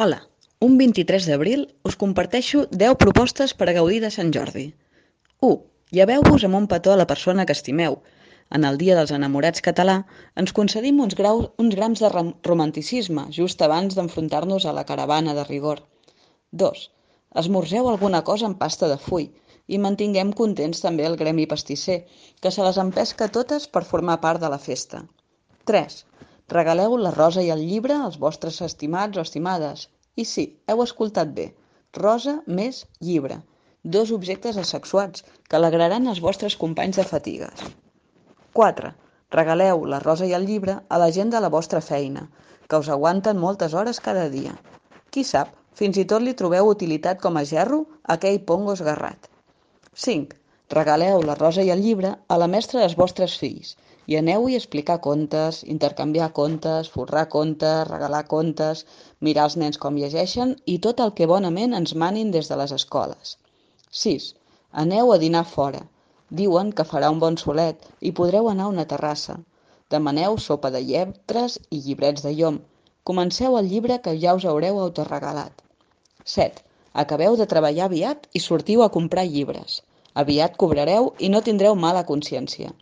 Hola, un 23 d'abril us comparteixo 10 propostes per a gaudir de Sant Jordi. 1. Lleveu-vos amb un petó a la persona que estimeu. En el Dia dels Enamorats català ens concedim uns grams de romanticisme just abans d'enfrontar-nos a la caravana de rigor. 2. Esmorzeu alguna cosa amb pasta de full i mantinguem contents també el gremi pastisser, que se les empesca totes per formar part de la festa. 3. Regaleu la rosa i el llibre als vostres estimats o estimades. I sí, heu escoltat bé. Rosa més llibre. 2 objectes asexuats que alegraran els vostres companys de fatigues. 4. Regaleu la rosa i el llibre a la gent de la vostra feina, que us aguanten moltes hores cada dia. Qui sap, fins i tot li trobeu utilitat com a gerro a aquell pongo esgarrat. 5. Regaleu la rosa i el llibre a la mestra dels vostres fills i aneu-hi a explicar contes, intercanviar contes, forrar contes, regalar contes, mirar els nens com llegeixen i tot el que bonament ens manin des de les escoles. 6. Aneu a dinar fora. Diuen que farà un bon solet i podreu anar a una terrassa. Demaneu sopa de lletres i llibrets de llom. Comenceu el llibre que ja us haureu autoregalat. 7. Acabeu de treballar aviat i sortiu a comprar llibres. Aviat cobrareu i no tindreu mala consciència.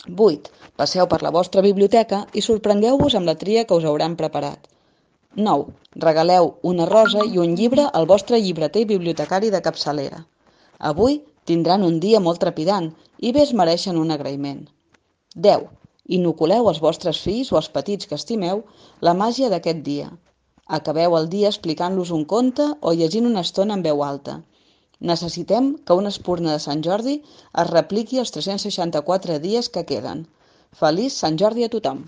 8. Passeu per la vostra biblioteca i sorprengueu-vos amb la tria que us hauran preparat. 9. Regaleu una rosa i un llibre al vostre llibreter i bibliotecari de capçalera. Avui tindran un dia molt trepidant i bé es mereixen un agraïment. 10. Inoculeu als vostres fills o als petits que estimeu la màgia d'aquest dia. Acabeu el dia explicant-los un conte o llegint una estona en veu alta. Necessitem que una espurna de Sant Jordi es repliqui els 364 dies que queden. Feliç Sant Jordi a tothom!